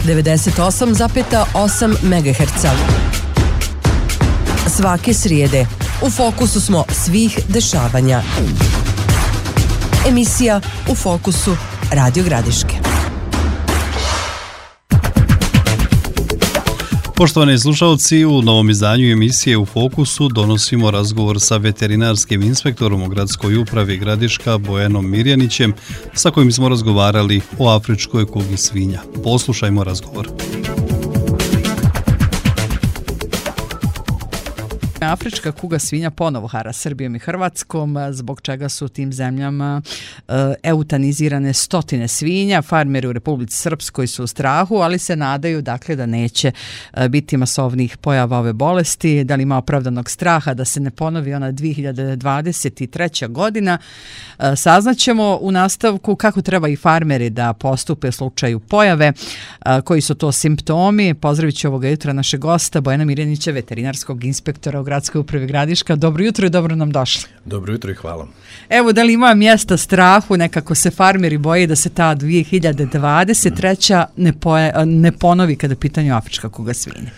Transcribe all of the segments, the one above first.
98,8 MHz. Svake srijede u fokusu smo svih dešavanja. Emisija U fokusu Radio Gradiške. Poštovani slušalci, u novom izdanju emisije U fokusu donosimo razgovor sa veterinarskim inspektorom u gradskoj upravi Gradiška Bojanom Mirjanićem, sa kojim smo razgovarali o afričkoj kugi svinja. Poslušajmo razgovor. Afrička kuga svinja ponovo hara Srbijom i Hrvatskom, zbog čega su u tim zemljama eutanizirane stotine svinja. Farmeri u Republici Srpskoj su u strahu, ali se nadaju dakle da neće biti masovnih pojava ove bolesti. Da li ima opravdanog straha da se ne ponovi ona 2023. godina? Saznaćemo u nastavku kako treba i farmeri da postupe u slučaju pojave, koji su to simptomi. Pozdravit ću ovoga jutra našeg gosta Bojana Mirjanića, veterinarskog inspektora u gradskoj upravi Gradiška. Dobro jutro i dobro nam došli. Dobro jutro i hvala. Evo, da li ima mjesta strahu, nekako se farmeri boje da se ta 2023. ne ponovi kada je pitanju afrička kuga svinja?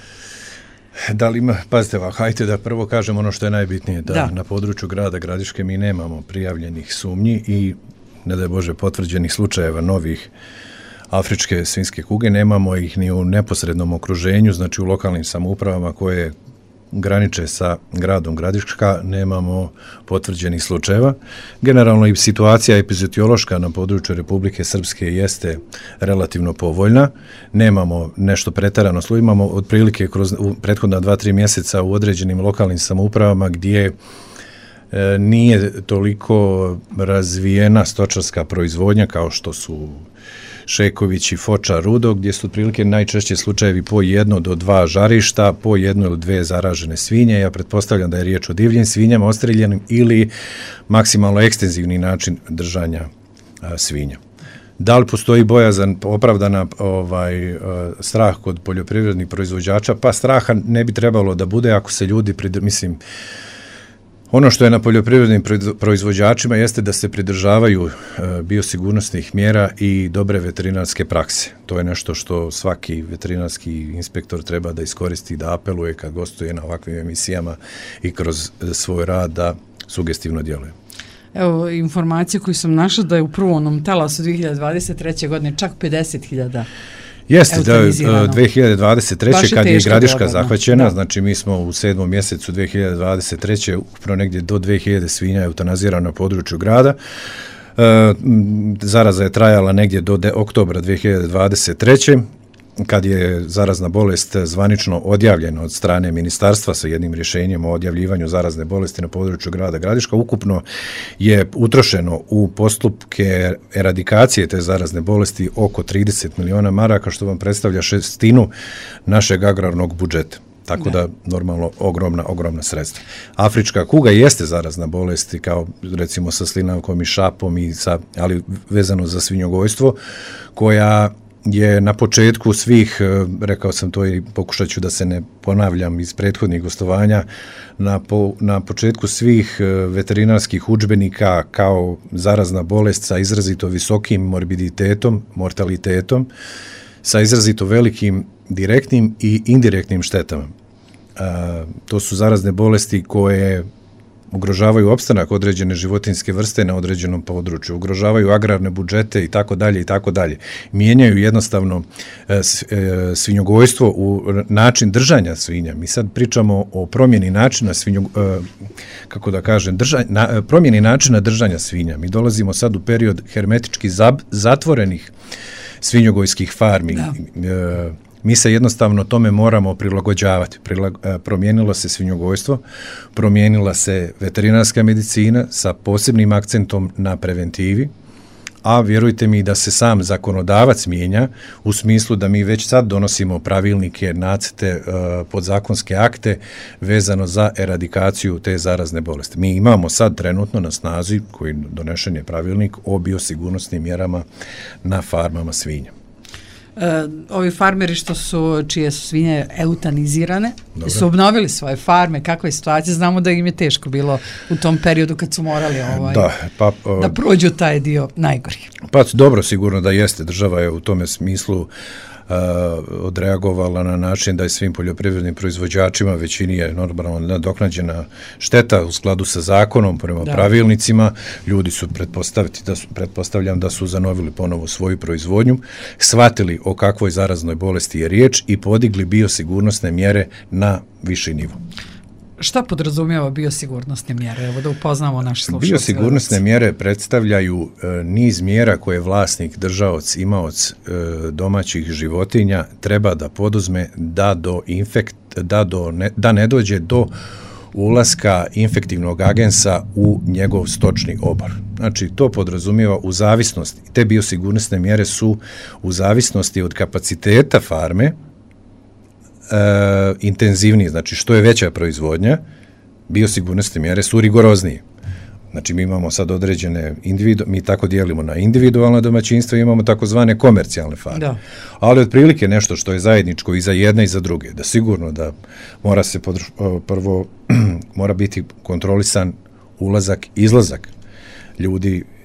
Da li ima, pazite, hajte da prvo kažem ono što je najbitnije, da na području grada Gradiške mi nemamo prijavljenih sumnji i, ne daj Bože, potvrđenih slučajeva novih afričke svinjske kuge, nemamo ih ni u neposrednom okruženju, znači u lokalnim samoupravama koje graniče sa gradom Gradiška, nemamo potvrđenih slučajeva. Generalno i situacija epizodiološka na području Republike Srpske jeste relativno povoljna. Nemamo nešto preterano slučaj, imamo otprilike kroz prethodna 2-3 mjeseca u određenim lokalnim samoupravama gdje nije toliko razvijena stočarska proizvodnja kao što su Šeković i Foča, Rudo, gdje su otprilike najčešće slučajevi po 1 do 2 žarišta, po 1 ili 2 zaražene svinje. Ja pretpostavljam da je riječ o divljim svinjama, ostreljenim ili maksimalno ekstenzivni način držanja svinja. Da li postoji bojazan, opravdana strah kod poljoprivrednih proizvođača? Pa straha ne bi trebalo da bude ako se ljudi, ono što je na poljoprivrednim proizvođačima jeste da se pridržavaju biosigurnosnih mjera i dobre veterinarske prakse. To je nešto što svaki veterinarski inspektor treba da iskoristi i da apeluje kad gostuje na ovakvim emisijama i kroz svoj rad da sugestivno djeluje. Evo, informacije koju sam našla da je u prvom talasu 2023. godine čak 50.000 jeste, da 2023. kad je Gradiška zahvaćena, da. Znači mi smo u 7. mjesecu 2023. ukupno negdje do 2000 svinja eutanazirano na području grada. Zaraza je trajala negdje do oktobra 2023. kad je zarazna bolest zvanično odjavljena od strane ministarstva sa jednim rješenjem o odjavljivanju zarazne bolesti na području grada Gradiška. Ukupno je utrošeno u postupke eradikacije te zarazne bolesti oko 30 miliona maraka, što vam predstavlja 1/6 našeg agrarnog budžeta. Tako da normalno ogromna sredstva. Afrička kuga jeste zarazna bolest kao recimo sa slinavkom i šapom, ali vezano za svinjogojstvo, koja je na početku svih, rekao sam to i pokušat ću da se ne ponavljam iz prethodnih gostovanja, na početku svih veterinarskih udžbenika kao zarazna bolest sa izrazito visokim morbiditetom, mortalitetom, sa izrazito velikim direktnim i indirektnim štetama. To su zarazne bolesti koje ugrožavaju opstanak određene životinjske vrste na određenom području, ugrožavaju agrarne budžete i tako dalje. Mijenjaju jednostavno svinjogojstvo u način držanja svinja. Mi sad pričamo o promjeni načina promjeni načina držanja svinja. Mi dolazimo sad u period hermetički zatvorenih svinjogojskih farmi. Mi se jednostavno tome moramo prilagođavati. Promijenilo se svinjogojstvo, promijenila se veterinarska medicina sa posebnim akcentom na preventivi, a vjerujte mi da se sam zakonodavac mijenja u smislu da mi već sad donosimo pravilnike, nacrte, podzakonske akte vezano za eradikaciju te zarazne bolesti. Mi imamo sad trenutno na snazi, koji donešen je pravilnik o biosigurnosnim mjerama na farmama svinja. Ovi farmeri čije su svinje eutanizirane, su obnovili svoje farme, kakva je situacija? Znamo da im je teško bilo u tom periodu kad su morali da prođu taj dio najgori. Pa dobro, sigurno da jeste. Država je u tome smislu odreagovala na način da je svim poljoprivrednim proizvođačima, većini je normalno nadoknađena šteta u skladu sa zakonom, prema pravilnicima. Ljudi su pretpostavljam da su zanovili ponovo svoju proizvodnju, shvatili o kakvoj zaraznoj bolesti je riječ i podigli biosigurnosne mjere na viši nivo. Šta podrazumijeva biosigurnosne mjere? Evo da upoznamo naše slušalce. Biosigurnosne mjere predstavljaju niz mjera koje vlasnik, držaoc, imaoc domaćih životinja treba da poduzme da ne dođe do ulaska infektivnog agensa u njegov stočni obor. Znači, to podrazumijeva u zavisnosti, te biosigurnosne mjere su u zavisnosti od kapaciteta farme, intenzivnije, znači što je veća proizvodnja, biosigurnosne mjere su rigoroznije. Znači, mi imamo sad određene mi tako dijelimo na individualna domaćinstva i imamo takozvane komercijalne farme. Da. Ali otprilike nešto što je zajedničko i za jedne i za druge, da sigurno da mora se prvo mora biti kontrolisan ulazak, izlazak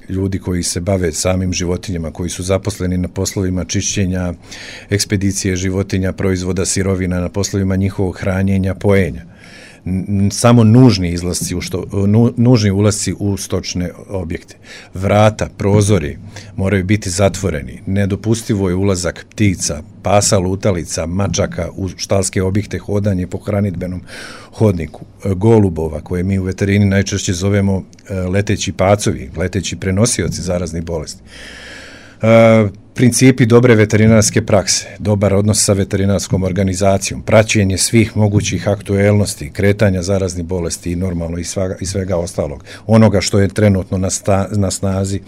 ljudi koji se bave samim životinjama, koji su zaposleni na poslovima čišćenja, ekspedicije životinja, proizvoda, sirovina, na poslovima njihovog hranjenja, pojenja. Samo nužni ulasci u stočne objekte. Vrata, prozori moraju biti zatvoreni. Nedopustivo je ulazak ptica, pasa, lutalica, mačaka u štalske objekte, hodanje po hranidbenom hodniku, golubova, koje mi u veterini najčešće zovemo leteći pacovi, leteći prenosioci zaraznih bolesti. Principi dobre veterinarske prakse, dobar odnos sa veterinarskom organizacijom, praćenje svih mogućih aktuelnosti, kretanja zaraznih bolesti i normalno i svega ostalog. Onoga što je trenutno na snazi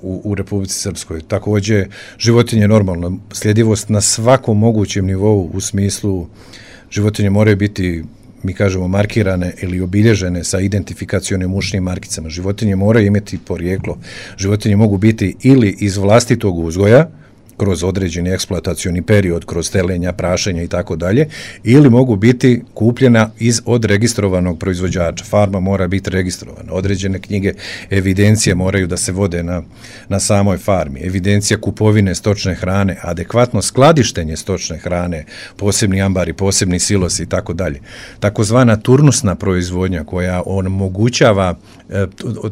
u Republici Srpskoj. Također, životinje normalno, sljedivost na svakom mogućem nivou u smislu životinje moraju biti, mi kažemo, markirane ili obilježene sa identifikacionim ušnim markicama. Životinje moraju imati porijeklo. Životinje mogu biti ili iz vlastitog uzgoja, kroz određeni eksploatacioni period, kroz telenja, prašenja i tako dalje, ili mogu biti kupljena od registrovanog proizvođača. Farma mora biti registrovana. Određene knjige, evidencije moraju da se vode na samoj farmi. Evidencija kupovine stočne hrane, adekvatno skladištenje stočne hrane, posebni ambari, posebni silosi i tako dalje. Takozvana turnusna proizvodnja koja omogućava,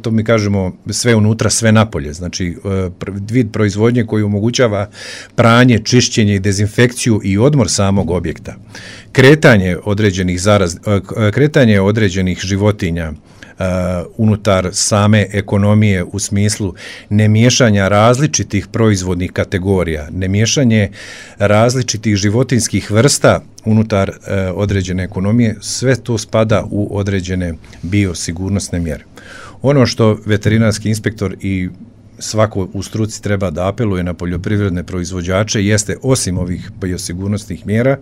to mi kažemo, sve unutra, sve napolje. Znači, vid proizvodnje koji omogućava pranje, čišćenje i dezinfekciju i odmor samog objekta. Kretanje određenih životinja unutar same ekonomije u smislu nemiješanja različitih proizvodnih kategorija, nemiješanje različitih životinskih vrsta unutar određene ekonomije, sve to spada u određene biosigurnosne mjere. Ono što veterinarski inspektor i svako u struci treba da apeluje na poljoprivredne proizvođače jeste, osim ovih biosigurnosnih mjera,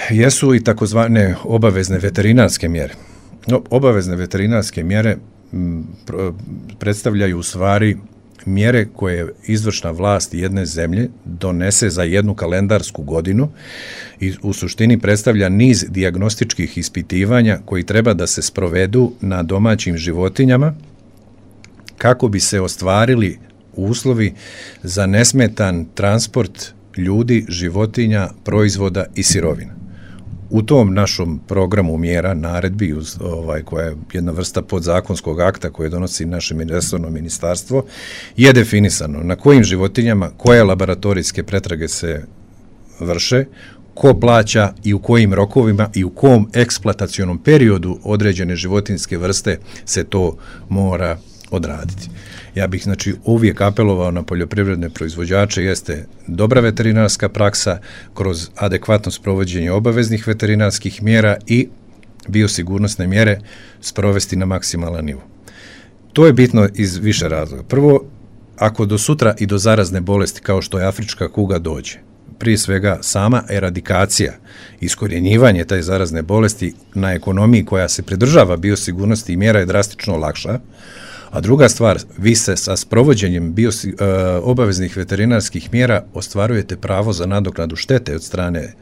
jesu i takozvane obavezne veterinarske mjere. Obavezne veterinarske mjere predstavljaju u stvari mjere koje izvršna vlast jedne zemlje donese za jednu kalendarsku godinu i u suštini predstavlja niz dijagnostičkih ispitivanja koji treba da se sprovedu na domaćim životinjama kako bi se ostvarili uslovi za nesmetan transport ljudi, životinja, proizvoda i sirovina. U tom našom programu mjera, naredbi, koja je jedna vrsta podzakonskog akta koje donosi naše resorno ministarstvo, je definisano na kojim životinjama, koje laboratorijske pretrage se vrše, ko plaća i u kojim rokovima i u kom eksploatacionom periodu određene životinjske vrste se to mora odraditi. Ja bih, znači, uvijek apelovao na poljoprivredne proizvođače, jeste dobra veterinarska praksa kroz adekvatno sprovođenje obaveznih veterinarskih mjera i biosigurnosne mjere sprovesti na maksimalan nivo. To je bitno iz više razloga. Prvo, ako do sutra i do zarazne bolesti kao što je afrička kuga dođe, prije svega sama eradikacija, iskorjenjivanje taj zarazne bolesti na ekonomiji koja se pridržava biosigurnosti i mjera je drastično lakša. A druga stvar, vi se sa sprovođenjem obaveznih veterinarskih mjera ostvarujete pravo za nadoknadu štete od strane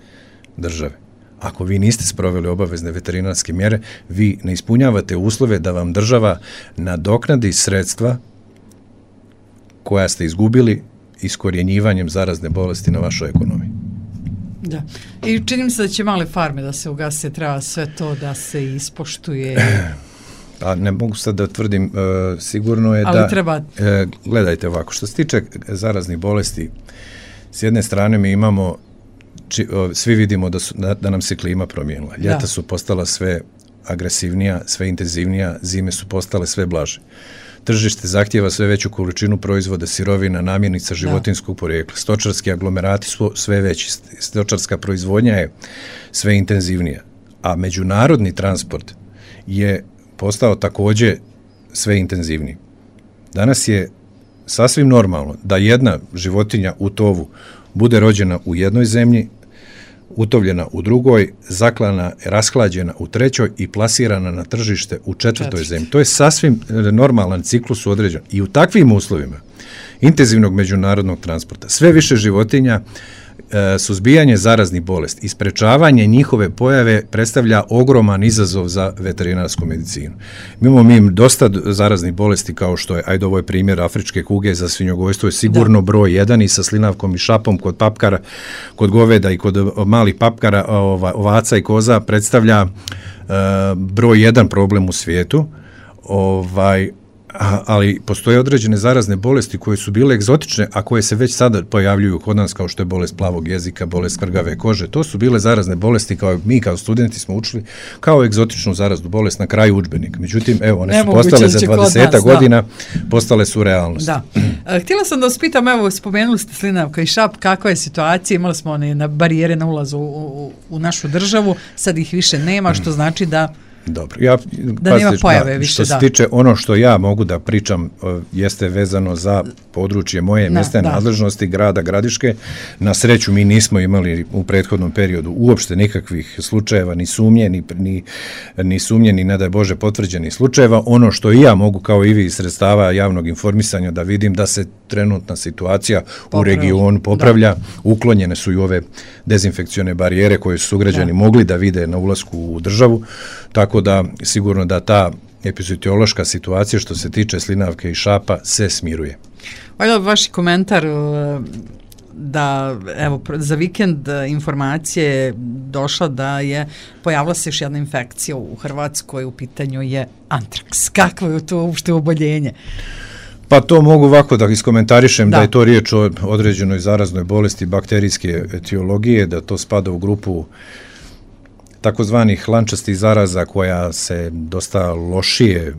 države. Ako vi niste sproveli obavezne veterinarske mjere, vi ne ispunjavate uslove da vam država nadoknadi sredstva koja ste izgubili iskorjenjivanjem zarazne bolesti na vašoj ekonomiji. Da. I čini mi se da će male farme da se ugase, treba sve to da se ispoštuje. Pa ne mogu sad da tvrdim, sigurno je ali treba... Gledajte ovako, što se tiče zaraznih bolesti, s jedne strane mi imamo, svi vidimo da nam se klima promijenila. Ljeta su postala sve agresivnija, sve intenzivnija, zime su postale sve blaže. Tržište zahtijeva sve veću količinu proizvoda, sirovina, namirnica životinjskog porijekla. Stočarski aglomerati su sve veći, stočarska proizvodnja je sve intenzivnija, a međunarodni transport je postao također sve intenzivniji. Danas je sasvim normalno da jedna životinja u tovu bude rođena u jednoj zemlji, utovljena u drugoj, zaklana, rashlađena u trećoj i plasirana na tržište u četvrtoj zemlji. To je sasvim normalan ciklus određen. I u takvim uslovima intenzivnog međunarodnog transporta sve više životinja, suzbijanje zaraznih bolesti i sprečavanje njihove pojave predstavlja ogroman izazov za veterinarsku medicinu. Mi dosta zaraznih bolesti kao što je, ovo je primjer afričke kuge za svinjogojstvo, je sigurno broj 1 i sa slinavkom i šapom kod papkara, kod goveda i kod malih papkara, ovaca i koza predstavlja broj 1 problem u svijetu. Ali postoje određene zarazne bolesti koje su bile egzotične, a koje se već sada pojavljuju kod nas, kao što je bolest plavog jezika, bolest krgave kože. To su bile zarazne bolesti kao mi kao studenti smo učili kao egzotičnu zaraznu bolest na kraju udžbenika. Međutim, evo, one su postale za 20 godina, postale su realnost. Da. Htjela sam da vas pitam, evo, spomenuli ste slinavka i šap, kakva je situacija? Imali smo one na barijere na ulazu u našu državu, sad ih više nema, što znači da dobro, da nema pojave više. Što se tiče ono što ja mogu da pričam jeste vezano za područje moje mjesne nadležnosti grada Gradiške. Na sreću mi nismo imali u prethodnom periodu uopšte nikakvih slučajeva, ni sumnje, ni ne daj Bože potvrđenih slučajeva. Ono što i ja mogu kao i vi iz sredstava javnog informisanja da vidim da se trenutna situacija u regionu popravlja. Uklonjene su i ove dezinfekcione barijere koje su sugrađani mogli da vide na ulasku u državu. Tako da sigurno da ta epizodiološka situacija što se tiče slinavke i šapa se smiruje. Vaš komentar da evo za vikend informacije došla da je pojavila se još jedna infekcija u Hrvatskoj, u pitanju je antraks. Kakvo je to uopšte oboljenje? Pa to mogu ovako da iskomentarišem da je to riječ o određenoj zaraznoj bolesti bakterijske etiologije, da to spada u grupu takozvanih lančastih zaraza koja se dosta lošije,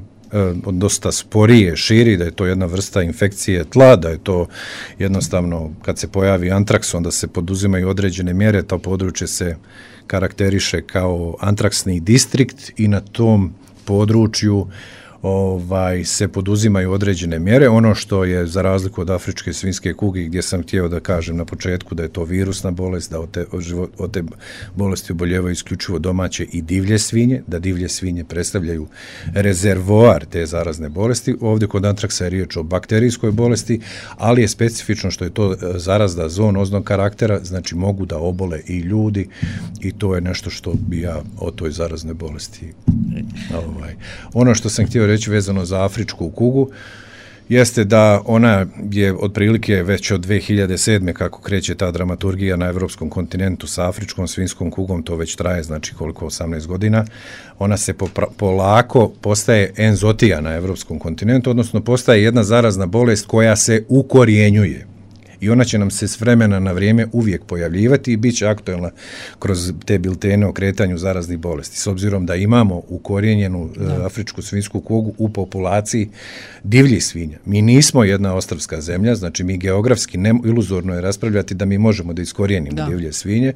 dosta sporije širi, da je to jedna vrsta infekcije tla, da je to jednostavno kad se pojavi antraks onda se poduzimaju određene mjere, to područje se karakteriše kao antraksni distrikt i na tom području se poduzimaju određene mjere. Ono što je za razliku od afričke svinjske kuge gdje sam htio da kažem na početku da je to virusna bolest, da od te bolesti oboljevaju isključivo domaće i divlje svinje, da divlje svinje predstavljaju rezervoar te zarazne bolesti. Ovdje kod antraksa je riječ o bakterijskoj bolesti, ali je specifično što je to zarazna zoonoznog karaktera, znači mogu da obole i ljudi i to je nešto što bi ja o toj zaraznoj bolesti. Ono što sam htio reći vezano za afričku kugu jeste da ona je otprilike već od 2007. kako kreće ta dramaturgija na evropskom kontinentu sa afričkom svinjskom kugom, to već traje, znači koliko, 18 godina, ona se polako postaje enzotija na evropskom kontinentu, odnosno postaje jedna zarazna bolest koja se ukorjenjuje. I ona će nam se s vremena na vrijeme uvijek pojavljivati i bit će aktualna kroz te biltene o kretanju zaraznih bolesti. S obzirom da imamo ukorijenjenu afričku svinjsku kugu u populaciji divljih svinja. Mi nismo jedna ostrvska zemlja, znači mi geografski iluzorno je raspravljati da mi možemo da iskorijenimo divlje svinje.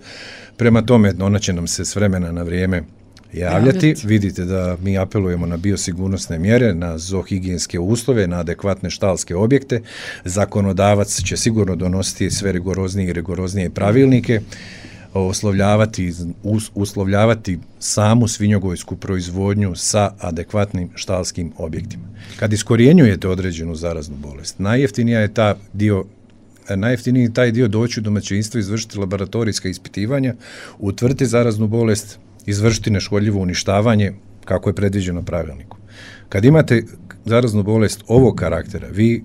Prema tome, ona će nam se s vremena na vrijeme javljati. Vidite da mi apelujemo na biosigurnosne mjere, na zoohigijenske uslove, na adekvatne štalske objekte. Zakonodavac će sigurno donositi sve rigoroznije pravilnike, uslovljavati samu svinjogojsku proizvodnju sa adekvatnim štalskim objektima. Kad iskorjenjujete određenu zaraznu bolest, najjeftiniji taj dio doći u domaćinstvo, izvršiti laboratorijska ispitivanja, utvrditi zaraznu bolest, izvršiti neškodljivo uništavanje kako je predviđeno pravilnikom. Kad imate zaraznu bolest ovog karaktera, vi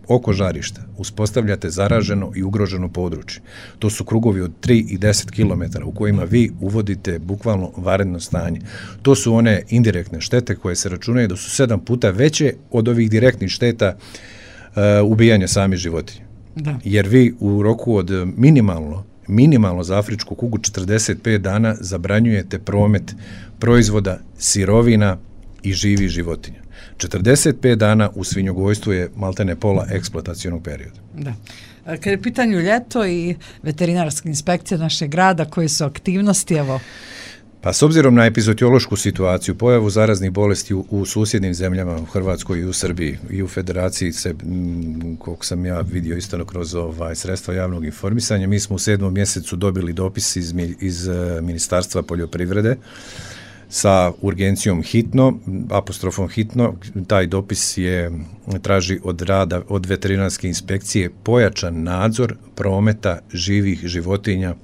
oko žarišta uspostavljate zaraženo i ugroženo područje. To su krugovi od 3 i 10 km u kojima vi uvodite bukvalno vanredno stanje. To su one indirektne štete koje se računaju da su 7 puta veće od ovih direktnih šteta ubijanja samih životinja. Da. Jer vi u roku od minimalno za afričku kugu 45 dana zabranjujete promet proizvoda, sirovina i živih životinja. 45 dana u svinjogojstvu je maltene pola eksploatacionog perioda. Da. Kad je pitanju ljeto i veterinarska inspekcija našeg grada, koje su aktivnosti, evo? Pa s obzirom na epizootiološku situaciju, pojavu zaraznih bolesti u susjednim zemljama, u Hrvatskoj i u Srbiji i u Federaciji se, koliko sam ja vidio isto kroz sredstva javnog informisanja, mi smo u 7. mjesecu dobili dopis iz Ministarstva poljoprivrede sa urgencijom hitno, apostrofom hitno. Taj dopis traži od veterinarske inspekcije pojačan nadzor prometa živih životinja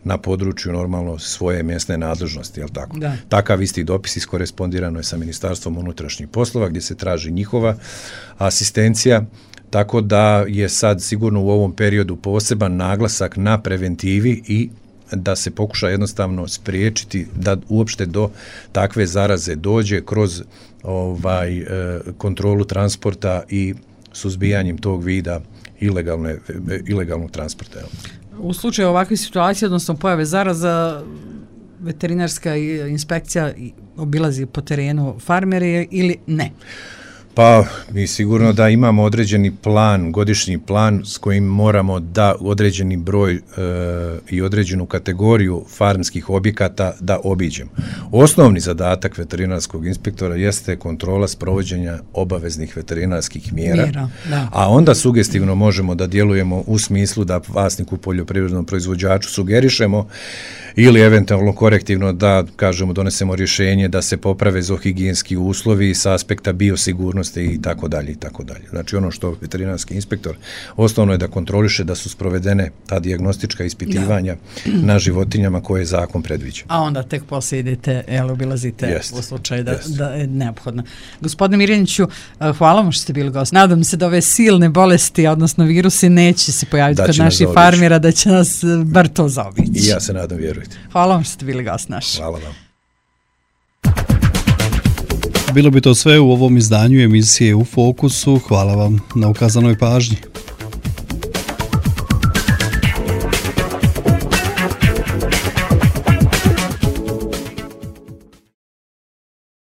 na području normalno svoje mjesne nadležnosti, jel tako? Da. Takav isti dopis iskorespondirano je sa Ministarstvom unutrašnjih poslova gdje se traži njihova asistencija, tako da je sad sigurno u ovom periodu poseban naglasak na preventivi i da se pokuša jednostavno spriječiti da uopšte do takve zaraze dođe kroz kontrolu transporta i suzbijanjem tog vida ilegalnog transporta. U slučaju ovakve situacije, odnosno pojave zaraza, veterinarska inspekcija obilazi po terenu farmere ili ne? Pa mi sigurno da imamo određeni plan, godišnji plan s kojim moramo da određeni broj i određenu kategoriju farmskih objekata da obiđemo. Osnovni zadatak veterinarskog inspektora jeste kontrola sprovođenja obaveznih veterinarskih mjera, a onda sugestivno možemo da djelujemo u smislu da vlasniku poljoprivrednom proizvođaču sugerišemo ili eventualno korektivno da kažemo donesemo rješenje da se poprave zoohigijenski uslovi s aspekta biosigurnosti i tako dalje i tako dalje. Znači ono što veterinarski inspektor osnovno je da kontroliše da su sprovedene ta dijagnostička ispitivanja na životinjama koje zakon predviđa. A onda tek poslije idete, obilazite u slučaju da je neophodno. Gospodine Mirjaniću, hvala vam što ste bili gost. Nadam se da ove silne bolesti, odnosno virusi, neće se pojaviti kod naših farmera, da će nas bar to zaobići. I ja se nadam, vjerujte. Hvala vam što ste bili gost naš. Hvala vam. Bilo bi to sve u ovom izdanju emisije U fokusu. Hvala vam na ukazanoj pažnji.